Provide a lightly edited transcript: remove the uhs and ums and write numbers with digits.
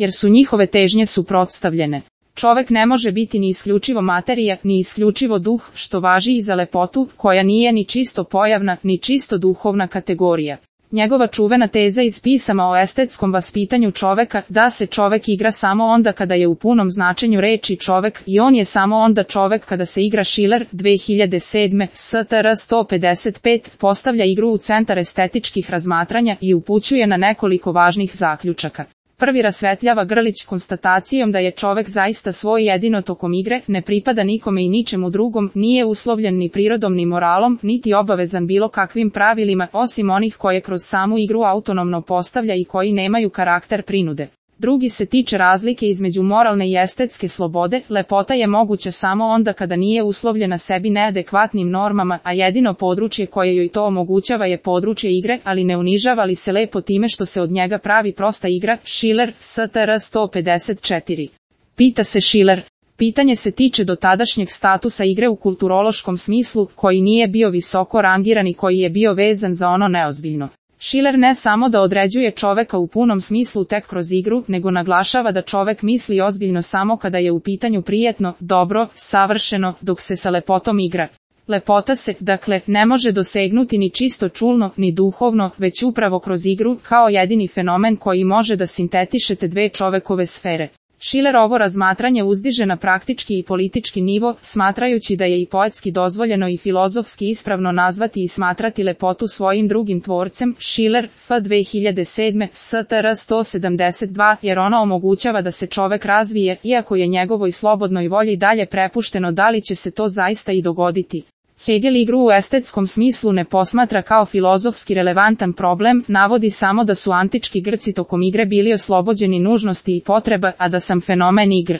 jer su njihove težnje suprotstavljene. Čovek ne može biti ni isključivo materija, ni isključivo duh, što važi i za lepotu, koja nije ni čisto pojavna, ni čisto duhovna kategorija. Njegova čuvena teza iz pisama o estetskom vaspitanju čoveka, da se čovek igra samo onda kada je u punom značenju reči čovek i on je samo onda čovek kada se igra. Schiller, 2007, STR 155, postavlja igru u centar estetičkih razmatranja i upućuje na nekoliko važnih zaključaka. Prvi rasvetljava Grlić konstatacijom da je čovek zaista svoj jedino tokom igre, ne pripada nikome i ničemu drugom, nije uslovljen ni prirodom ni moralom, niti obavezan bilo kakvim pravilima, osim onih koje kroz samu igru autonomno postavlja i koji nemaju karakter prinude. Drugi se tiče razlike između moralne i estetske slobode. Lepota je moguća samo onda kada nije uslovljena sebi neadekvatnim normama, a jedino područje koje joj to omogućava je područje igre, ali ne unižava li se lepo time što se od njega pravi prosta igra. Schiller, STR 154. Pita se Schiller. Pitanje se tiče dotadašnjeg statusa igre u kulturološkom smislu, koji nije bio visoko rangiran i koji je bio vezan za ono neozbiljno. Schiller ne samo da određuje čoveka u punom smislu tek kroz igru, nego naglašava da čovek misli ozbiljno samo kada je u pitanju prijetno, dobro, savršeno, dok se sa lepotom igra. Lepota se, dakle, ne može dosegnuti ni čisto čulno, ni duhovno, već upravo kroz igru, kao jedini fenomen koji može da sintetiše te dve čovekove sfere. Schiller ovo razmatranje uzdiže na praktički i politički nivo, smatrajući da je i poetski dozvoljeno i filozofski ispravno nazvati i smatrati lepotu svojim drugim tvorcem. Schiller, F. 2007, STR 172, jer ona omogućava da se čovek razvije, iako je njegovoj slobodnoj volji dalje prepušteno da li će se to zaista i dogoditi. Hegel igru u estetskom smislu ne posmatra kao filozofski relevantan problem, navodi samo da su antički Grci tokom igre bili oslobođeni nužnosti i potreba, a da sam fenomen igre